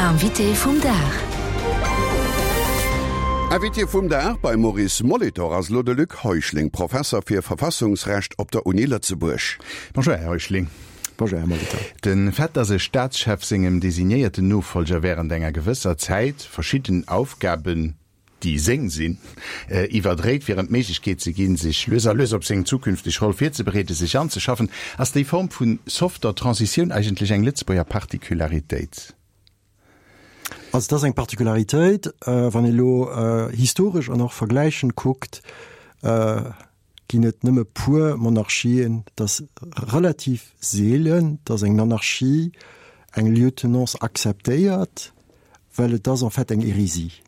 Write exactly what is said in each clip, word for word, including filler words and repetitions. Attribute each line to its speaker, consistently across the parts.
Speaker 1: Invité vum Dag.
Speaker 2: Invité vum Dag beim Maurice Molitor ass elo de Luc Heuschling, Professer fir Verfassungsrecht op der Uni Lëtzebuerg.
Speaker 3: Bonjour, Här Heuschling.
Speaker 4: Bonjour, Här Molitor.
Speaker 3: De Fait, dass e Staatschef sengem designéierten Nofollger wärend enger gewësser Zäit verschidden Aufgaben, déi seng sinn, iwwerdréit, fir em d'Méiglechkeet ze ginn, sech lues a lues op seng zukünfteg Roll virzebereeden, sech anzeschaffen, ass déi Form vu softer Transitioun eigentlech eng Lëtzebuerger Particularitéit?
Speaker 4: Also et ass eng Particularitéit, wann ee elo historesch an och vergläichend kuckt, ginn et nëmme puer Monarchien, et ass relativ seelen, datt eng Monarchie eng Lieutenance akzeptéiert, well et ass en fait eng Hérésie.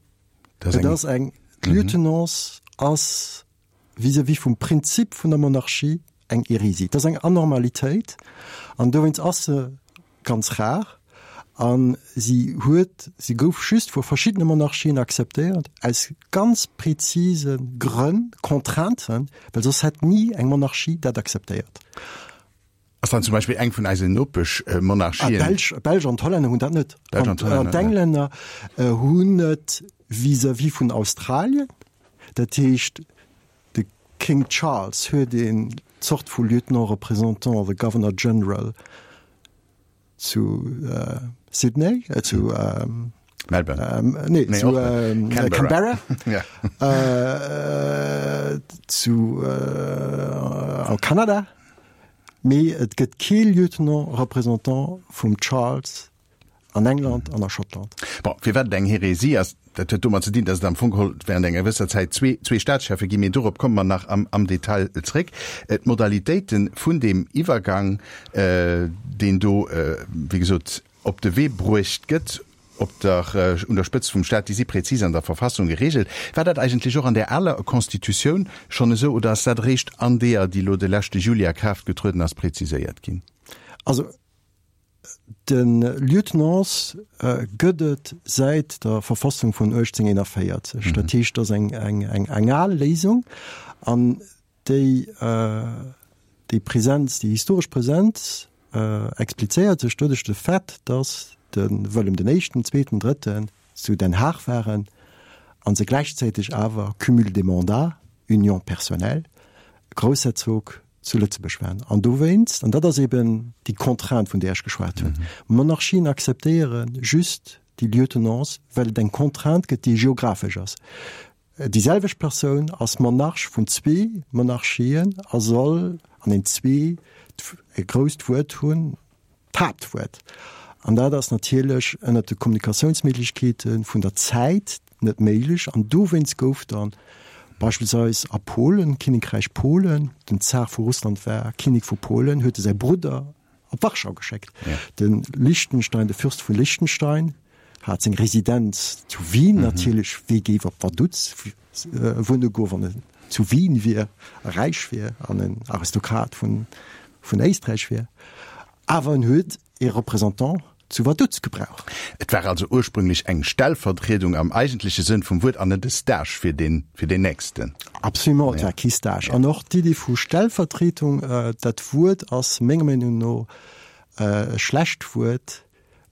Speaker 4: Et ass eng, d'Lieutenance ass vis-à-vis vum Prinzip vun der Monarchie eng Hérésie. Et ass eng Anormalitéit an dowéinst ass se ganz rar a si huet, si gouf just vu verschiddene Monarchien akzeptéiert aus ganz prezise Grënn, Contrainten, well soss hätt ni eng Monarchie dat akzeptéiert.
Speaker 3: Ass dann zum Beispill eng vun eisen Nopeschmonarchien.
Speaker 4: Ah, d'Belsch, d'Belsch an d'Hollänner hunn dat net.
Speaker 3: D'Belsch an d'Hollänner,
Speaker 4: An d'Englänner hunn et vis-à-vis vun Australien. Dat heescht, de King Charles huet een Zort vu Lieutenant représentant, the Governor General zu Sydney, zu
Speaker 3: Melbourne.
Speaker 4: Nee, zu Canberra. Zu a Kanada. Mee et gëtt kee Lieutenant représentant vum Charles an England an a Schottland.
Speaker 3: Bon, firwat et eng Hérésie ass, dat huet domat ze dinn, datt et am Fong geholl während enger gewësser Zäit zwee, zwee Staatscheffe ginn. Mee dorop komme mer nach am, am Detail zréck. D'Modalitéite vun deem Iwwergang, deen do, wéi gesot, op de Wee bruecht gëtt, op der, un der Spëtzt vum Staat, déi si präzis an der Verfassung geregelt. War dat eigentlech och an där aler Constitutioun schonn esou oder ass dat eréischt an deeër, déi elo de leschte Juli a Kraaft getrueden ass, präziséiert ginn?
Speaker 4: Also de Lieutenance gëtt et säit der Verfassung vun uechtzénghunnerteennéierzeg. Dat heescht, dat ass eng, eng, eng, eng al Léisung an déi, déi Präsenz, déi historesch Präsenz explizéiert sech doduerch de Fait, dass de Wëllem den Éischten, Zweeten, Drëtten zu Den Haag waren a se gläichzäiteg awer, Cumul des mandats, Union personnelle, Groussherzog zu Lëtzebuerg waren. An dowéinst, an dat ass eben déi Contrainte, vun där ech geschwat hunn, Monarchien akzeptéiere just déi Lieutenance, well et eng Contrainte gëtt, déi geographesch ass. Déi selwecht Persoun ass Monarch vun zwee Monarchien a soll an den zwee e grousst Wuert hunn, d'Haaptwuert. An dat ass natierlech ënnert de Kommunikatiounsméiglechkeete vun der Zäit net méiglech. An dowéinst gouf dann beispillsweis a Polen, Kinnekräich Polen, den Zar vu Russland war Kinnek vu Polen, huet e säi Brudder op Warschau geschéckt. De Liechtenstein, de Fürst vu Liechtenstein hat seng Residenz zu Wien natierlech, wee géif op Vaduz wunne goen, wann en zu Wien wier a räich wier an en Aristokrat vun Éisträich wier. Awer en huet ee Représentant zu Vaduz gebraucht.
Speaker 3: Et war also ursprünglech eng Stellvertriedung am eigentleche Sënn vum Wuert an net e Stage fir deen, fir deen Nächsten.
Speaker 4: Absolument, et war kee Stage. An och d'Iddi vu Stellvertretung, dat Wuert ass menger Meenung no e schlecht Wuert,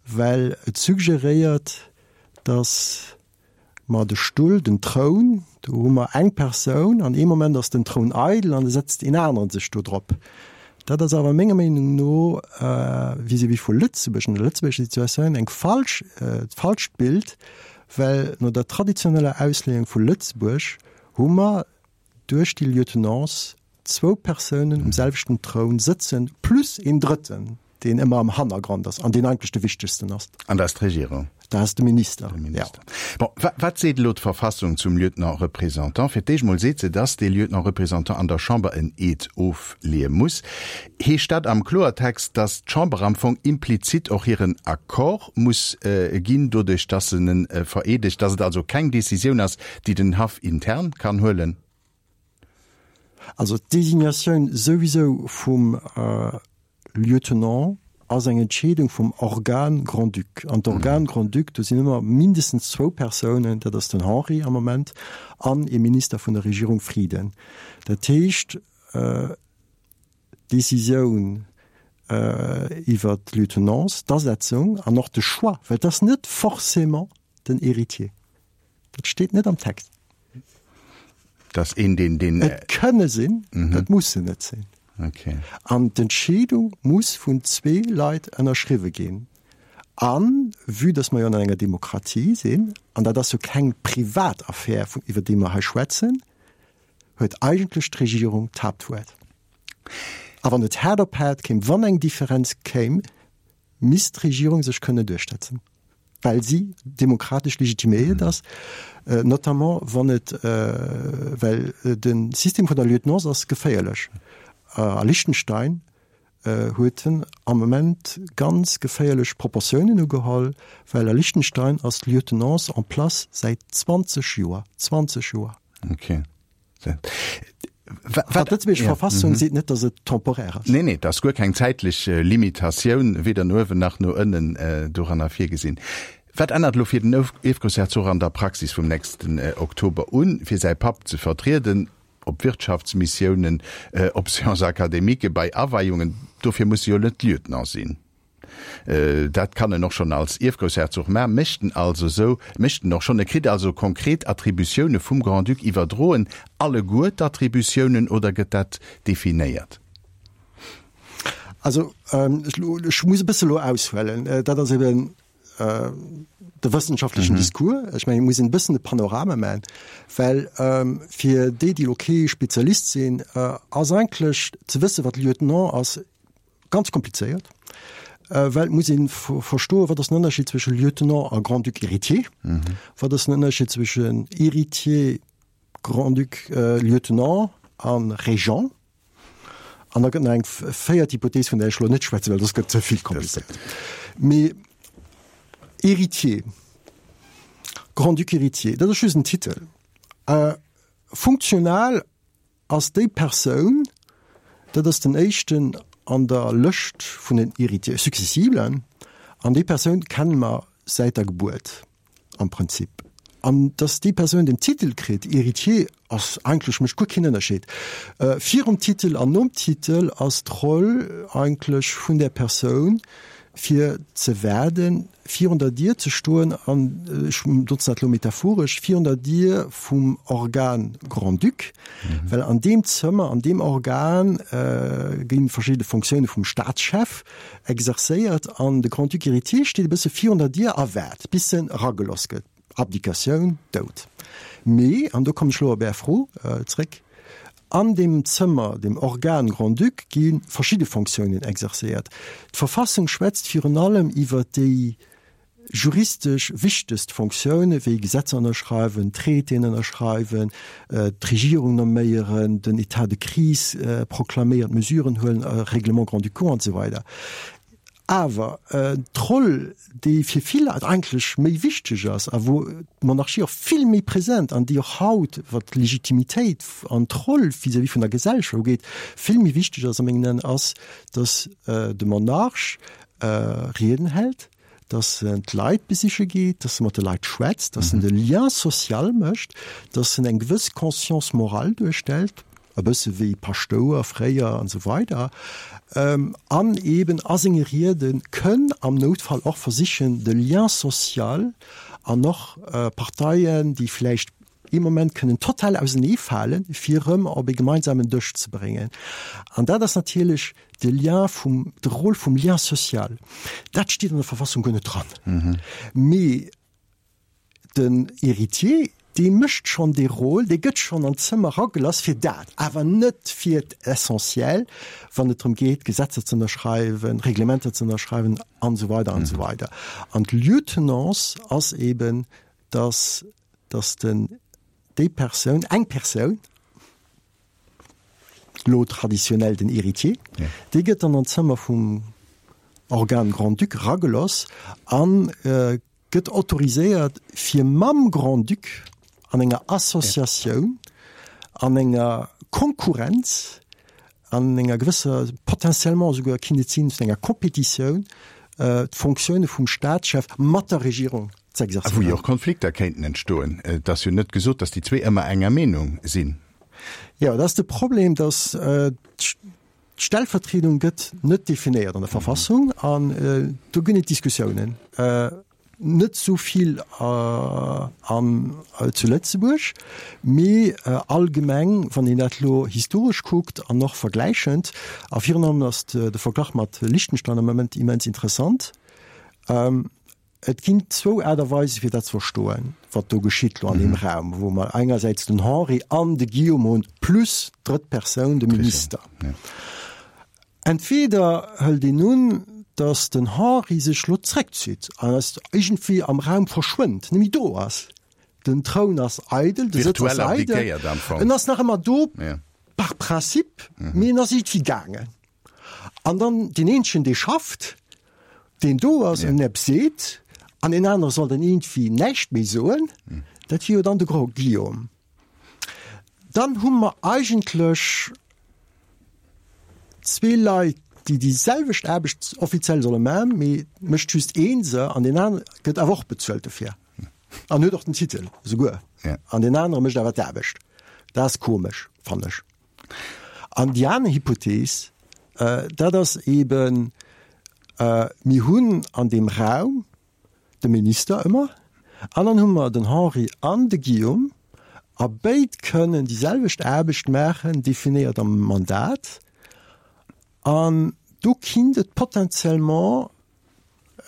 Speaker 4: well et suggeréiert, datt mer de Stull, den Troun, do hu mer eng Persoun an ee Moment ass den Troun eidel an da setzt een aneren sech do drop. Dat ass awer menger Meenung no vis-à-vis vu Lëtzebuerg an der lëtzebuergescher Situatioun eng falsch, falscht Bild, well no der traditioneller Ausleeung vu Lëtzebuerg hu mer duerch déi Lieutenance zwou Persounen um selwechten Troun sëtzen, plus een Drëtten, deen ëmmer am Hannergrond ass an deen eigentlech de wichtegsten ass.
Speaker 3: An dat ass d'Regierung?
Speaker 4: Dat ass de Minister,
Speaker 3: De Minister. Bon, wat seet elo d'Verfassung zum Lieutenant-représentant? Fir d'éischt mol seet se, dass dee Lieutenant-représentant an der Chamber en Eed ofleeë muss. Heescht dat am Kloertext, dass d'Chamber am Fong implizit och hiren Accord muss ginn, doduerch dass se en vereedegt, dass et also keng Décisioun ass, déi den Haff intern kann huelen?
Speaker 4: Also d'Designatioun souwisou vum Lieutenant ass eng Entscheedung vum Organe Grand-Duc. An d'Organe Grand-Duc, do sinn ëmmer mindestens zwou Persounen, dat ass den Henri am Moment an ee Minister vun der Regierung Frieden. Dat heescht, d'Decisioun iwwer d'Lieutenance, d'Asetzung an och de Choix, well et ass net forcément den Héritier. Dat steet net am Text.
Speaker 3: Dass een deen, deen.
Speaker 4: Et kënne sinn, et mussen net sinn.
Speaker 3: Okay.
Speaker 4: An d'Entscheedung muss vun zwee Leit ënnerschriwwe ginn. A vue dass mer jo an enger Demokratie sinn, an dat ass jo keng privat Affär, iwwer déi mer hei schwätzen, huet eigentlech d'Regierung d'Haaptwuert. A wann et haart op haart kéim, wann eng Differenz kéim, misst d'Regierung sech kënne duerchsetzen, well si demokratesch legitiméiert ass, notamment wann et, well de System vun der Lieutenance ass geféierlech. A Liechtenstein huet en am Moment ganz geféierlech Proportiounen ugeholl, well a Liechtenstein ass d'Lieutenance en place säit zwanzeg Joer, zwanzeg Joer!
Speaker 3: Okay.
Speaker 4: Wat d'Lëtzebuergesch Verfassung seet net, datt et temporaire ass.
Speaker 3: Nee, nee, et ass guer keng zäitlech Limitatioun, weder no uewen nach no ënnen, doranner virgesinn. Wat ännert elo fir den Ierfgroussherzog an der Praxis vum nächsten Oktober un, fir säi Papp ze vertrieden, op Wirtschaftsmissiounen, op Séances académiques, bei Aweiungen? Dofir muss e jo net Lieutenant sinn. Dat kann en och schonn als Ierfgroussherzog maachen, mécht en also esou, mécht en och schonn. E kritt also konkret Attributioune vum Grand-Duc iwwerdroen. Alleguer d'Attributiounen oder gëtt dat definéiert?
Speaker 4: Also ech muss e bësse elo aushuelen. Dat ass eben de wëssenschaftlechen Discours. Ech mengen, et muss een e bëssen de Panorama maachen, well fir déi, déi elo kee Spezialist sinn, ass eigentlech ze wëssen, wat Lieutenant ass, ganz komplizéiert, well et muss ee verstoen, wat ass den Ënnerscheed zwësche Lieutenant a Grand-Duc héritier, wat ass den Ënnerscheed zwëschen Héritier, Grand-Duc, Lieutenant a Régent. An da gëtt nach eng véiert Hypothees, vun där ech elo net schwätzen, well soss gëtt et ze vill komplizéiert. Mee Héritier, Grand-Duc héritier, dat ass just en Titel. Funktional ass déi Persoun, dat ass den éischten an der Lëscht vun den Héritiers successiblen, an déi Persoun kenne mer säit der Gebuert am Prinzip. An dass déi Persoun den Titel kritt, Héritier, ass eigentlech, mécht guer keen Ënnerscheed. Virum Titel an nom Titel ass d'Roll eigentlech vun där Persoun, fir ze waarden, virun der Dier ze stoen an, ech notzen dat elo metaphoresch, virun der Dier vum Organ Grand-Duc, well an deem Zëmmer, an deem Organ gi verschidde Fonctioune vum Staatschef exerzéiert an de Grand-Duc héritier steet e bësse virun der Dier a waart, bis en erageloss gëtt. Abdikatioun, Doud. Mee, an do kommen ech elo op Är Fro zréck, An deem Zëmmer, dem Organe Grand-Duc, gi verschidde Fonctiounen exercéiert. D'Verfassung schwätzt virun allem iwwer déi juristesch wichtegst Fonctioune wéi Gesetzer ënnerschreiwen, Traitéen ënnerschreiwen, d'Regierung nomméieren, den État de crise proklaméieren, Mesuren huelen, Règlements grand-ducaux an esou weider. Awer d'Roll, déi fir vill Leit eigentlech méi wichteg ass a wou d'Monarchie och vill méi present an déi och haut, wat d'Legitimitéit an d'Roll vis-à-vis vun der Gesellschaft ugeet, vill méi wichteg ass a mengen Aen, ass, datt de Monarch Rieden hält, datt en d'Leit besiche geet, datt e mat de Leit schwätzt, datt en de Lien social mécht, datt en eng gewëss Conscience morale duerstellt, e bësse wéi Paschtouer fréier an esou weider, an eben a senge Riede kënn am Noutfall och versichen, de Lien social an och Parteien, déi vläicht ee Moment kënnen total auseneefalen, fir erëm op ee gemeinsamen Dësch ze bréngen. An dat ass natierlech de Lien vum, de Rôle vum Lien social. Dat steet an der Verfassung guer net dran. Mee Den Héritier, dee mécht schonn dee Rôle, dee gëtt schonn an d'Zëmmer eragelass fir dat, awer net fir d'Essentiel, wann et drëm geet, Gesetzer ze ënnerschreiwen, Reglementer ze ënnerschreiwen an esou weider an esou weider. An d'Lieutenance ass eben, dass, dass den, déi Persoun, eng Persoun, elo traditionell den Héritier, dee gëtt dann an d'Zëmmer vum Organe Grand-Duc erageloss an gëtt autoriséiert fir mam Grand-Duc an enger Associatioun, an enger Konkurrenz, an enger gewësser, potentiellement esouguer kinnt et sinn, zu enger Kompetitioun, d'Fonctioune vum Staatschef mat der Regierung
Speaker 3: z'exerzéieren. A wou jo och Konflikter kéinten entstoen. Et ass jo net gesot, datt déi zwee ëmmer enger Meenung sinn.
Speaker 4: Jo, dat ass de Problem, datt D'Stellvertriedung gëtt net definéiert an der Verfassung an do ginn et Diskussiounen, net esou vill an zu Lëtzebuerg, mee allgemeng, wann een dat elo historesch kuckt an och vergläichend, a virun allem ass de Verglach mat Liechtenstein am Moment immens interessant. Et ginn zwou Aart a Weise fir dat ze verstoen, wat do geschitt lo an deem Raum, wou mer engersäits den Henri an de Guillaume hunn, plus d'drëtt Persoun, de Minister. Entweder hëlt een un, datt den Henri sech lo zréckzitt an ass iergendwéi am Raum verschwënnt, net méi do ass. Den Troun ass eidel, de Sëtz ass eidel, en ass nach ëmmer do par principe, mee en ass iergendwéi gaangen. An dann deen eenzegen, dee schafft, deen do ass an eppes seet, an deen anere soll dann iergendwéi näischt méi soen, dat wier jo dann de Grand Guillaume. Dann hu mer eigentlech zwee Leit, déi déi selwecht Aarbecht offiziell solle maachen, mee et mécht just ee se an deen anere gëtt awer och bezuelt dofir an huet och den Titel esouguer an deen anere mécht awer d'Aarbecht. Dat ass komesch, fannen ech. An déi aner Hypothees, dat ass eeben, mir hunn an deem Raum de Minister ëmmer an dann hu mer den Henri an de Guillaume a béid kënnen déi selwecht Aarbecht maachen, definéiert am Mandat. An do kinnt et potentiellement,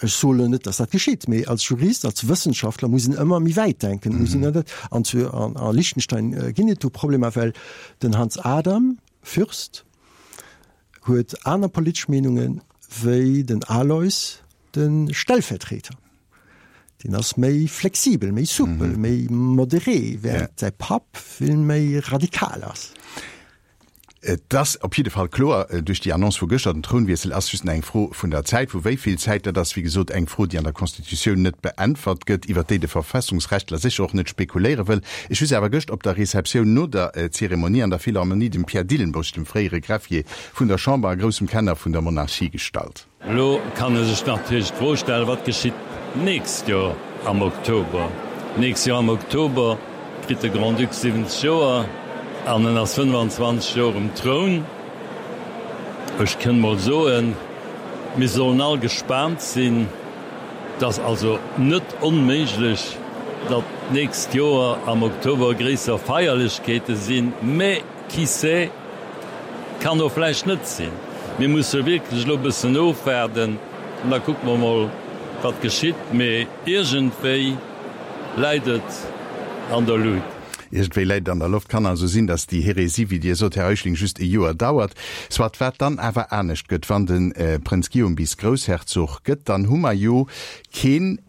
Speaker 4: ech soen elo net, dass dat geschitt, mee als Jurist, als Wëssenschaftler muss een ëmmer méi wäit denken, muss een dat, an zu a Liechtenstein ginn et do Problemer, well den Hans Adam Fürst huet aner politesch Meenunge wéi den Aloys, de Stellvertreter. Deen ass méi flexibel, méi soupel, méi moderé, während säi Papp vill méi radikal ass.
Speaker 3: Et ass op jidde Fall kloer duerch déi Annonce vu gëschter, den Trounwiessel ass just nach eng Fro vun der Zäit. Vu wéi vill Zäit, dat ass wéi gesot eng Fro, déi an der Constitutioun net beäntwert gëtt, iwwert déi de Verfassungsrechtler sécher och net spekuléiere wëll. Ech hu se awer gëscht op der Receptioun no der Zeremonie an der Philharmonie dem Pierre Dillenburg, dem fréiere Greffier vun der Chamber a groussem Kenner vun der Monarchie, gestallt.
Speaker 1: Elo kann ee sech natierlech d'Fro stellen, Wat geschitt d'nächst Joer am Oktober? D'nächst Joer am Oktober kritt de Grand-Duc siwwenzeg Joer an en ass fënnefanzwanzeg Joer um Troun. Ech kënn mol soen, mir sollen all gespaant sinn. Et ass also net onméiglech, datt d'nächst Joer am Oktober gréisser Feierlechkeete sinn, mä qui sait, kann och vläicht net sinn. Mir musse wierklech elo e bëssen ofwaarden an da kucke mer mol, wat geschitt. Mee iergendwéi läit et an der Luut.
Speaker 3: Iergendwéi läit et an der Loft. Kann also sinn, datt déi Hérésie, wéi Dir sot, Här Heuschling, just e Joer dauert. Soit, wat dann awer anescht gëtt, wann de Prënz Guillaume bis Groussherzog gëtt, dann hu mer jo keen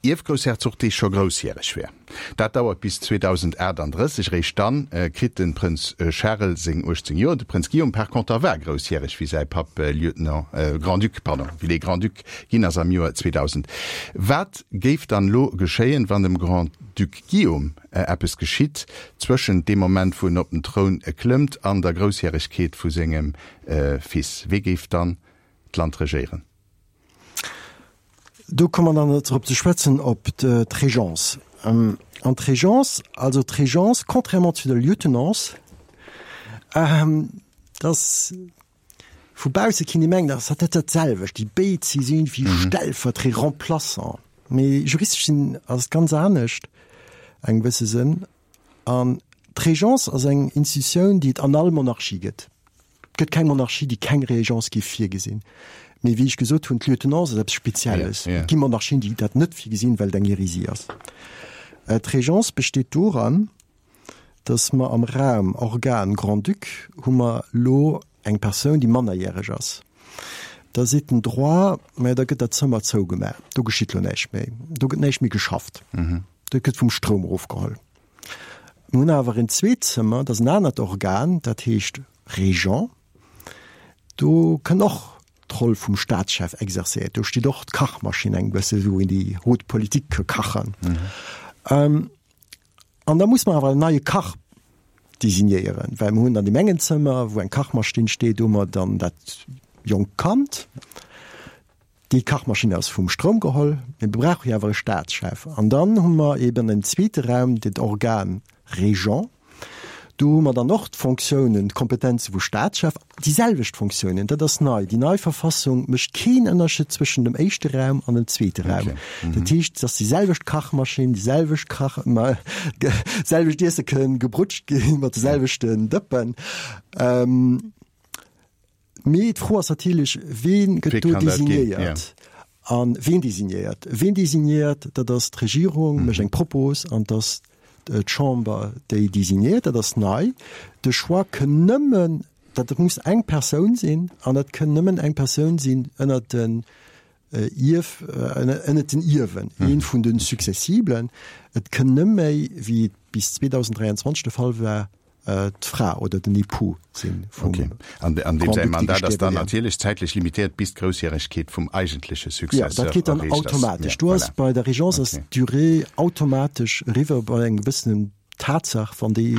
Speaker 3: Ierfgroussherzog, dee scho groussjäreg wär. Dat dauert bis zweedausendaachtandrësseg. Eréischt dann kritt de Prënz Charel seng uechtzéng Joer. De Prënz Guillaume par conter war groussjäreg, wéi säi Papp Lieutenant, Grand-Duc, pardon, wéi dee Grand-Duc ginn ass am Joer zweedausend. Wat géif dann elo geschéien, wann dem Grand-Duc Guillaume eppes geschitt zwëschent deem Moment, wou en op den Troun klëmmt, an der Groussjäregkeet vu sengem Fils? Wee géif dann d'Land regéieren?
Speaker 4: Do komme mer dann drop ze schwätzen op d'Régence. An d'Régence, also d'Régence, contrairement zu der Lieutenance, dass vu bausse kinnt ee mengen, dass dat net dat selwecht, déi béid si sinn wéi Stellvertrie-, Remplaçant. Mee juristesch gesinn ass et ganz anescht engem gewësse Sënn. An d'Régence ass eng Institutioun, déi et an all Monarchie gëtt. Et gëtt keng Monarchie, déi keng Régence géif virgesinn. Mee wéi ech gesot hunn, d'Lieutenance ass eppes Spezielles. Et gi Monarchien, déi dat net virgesinn, well et eng Hérésie ass. D'Régence besteet doran, datt mer am Raum Organe Grand-Duc hu mer elo eng Persoun, déi mannerjäreg ass. Da seet den Droit, Majo, da gëtt dat Zëmmer zougemaach, do geschitt elo näischt méi, do gëtt näischt méi geschafft, dat gëtt vum Stroum erofgeholl. Mir hunn awer en zweet Zëmmer, dat ass en anert Organ, dat heescht Régent. Do kënn och d'Roll vum Staatschef exercéiert. Do steet och d'Kachmaschinn eng bësse wou een déi haute politique ka kachen. An da muss mer awer en neie Kach designéieren, well mer hunn an deem engen Zëmmer, wou eng Kachmaschinn steet, hu mer dann dat jonkt Kand. Déi Kachmaschinn ass vum Stroum geholl, mee mir brauche jo awer e Staatschef. An dann hu mer eben en zweete Raum, dat Organ Régent. Do hu mer dann och d'Fonctiounen, d'Kompetenze vu Staatschef, déi selwecht Fonctiounen. Dat ass nei. Déi nei Verfassung mécht keen Ënnerscheed zwëschen dem éischte Raum an dem zweete Raum. Dat heescht, et ass déi selwecht Kachmaschinn, déi selwecht Kach, selwecht Iesse kënn gebrutscht ginn mat de selwechten Dëppen. Mee d'Fro ass natierlech, Ween gëtt do designéiert? A ween designéiert? Ween designéiert, dat ass d'Regierung, mécht eng Propos an et ass d'Chamber, déi designéiert. Dat ass nei. De Choix kënn nëmmen, dat muss eng Persoun sinn an dat kënn nëmmen eng Persoun sinn ënnert den Ierf, ënnert den Ierwen, ee vun de Successiblen. Et kënn net méi, wéi et bis zweetausenddräianzwanzeg de Fall war, d'Fra oder den Époux sinn
Speaker 3: vum Okay. An an deem säi Mandat ass dann natierlech zäitlech limitéiert bis d'Groussjäregkeet vum eigentleche
Speaker 4: Successeur erreecht ass. Jo, dat geet dann automatesch. Do ass bei der Régence ass d'Durée automatesch eriwwer bei engem gewëssenen Tatsaach, wann déi,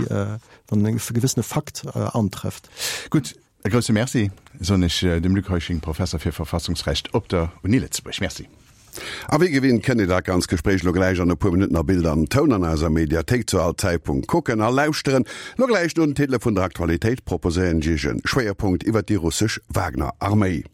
Speaker 4: wann e gewëssene Fakt antrëfft.
Speaker 3: Gutt, e grousse Merci soen ech dem Luc Heuschling, Professer fir Verfassungsrecht op der Uni Lëtzebuerg. Merci.
Speaker 2: A wéi gewinnt kënnt Dir dat ganz Gespréich lo gläich an e puer Minutten a Bild an Toun an eiser Mediathéik zu all Zäitpunkt kucken a lauschteren. Lo gläich no den Titele vun der Aktualitéit proposéieren ech Iech e Schwéierpunkt iwwert déi russesch Wagner-Arméi.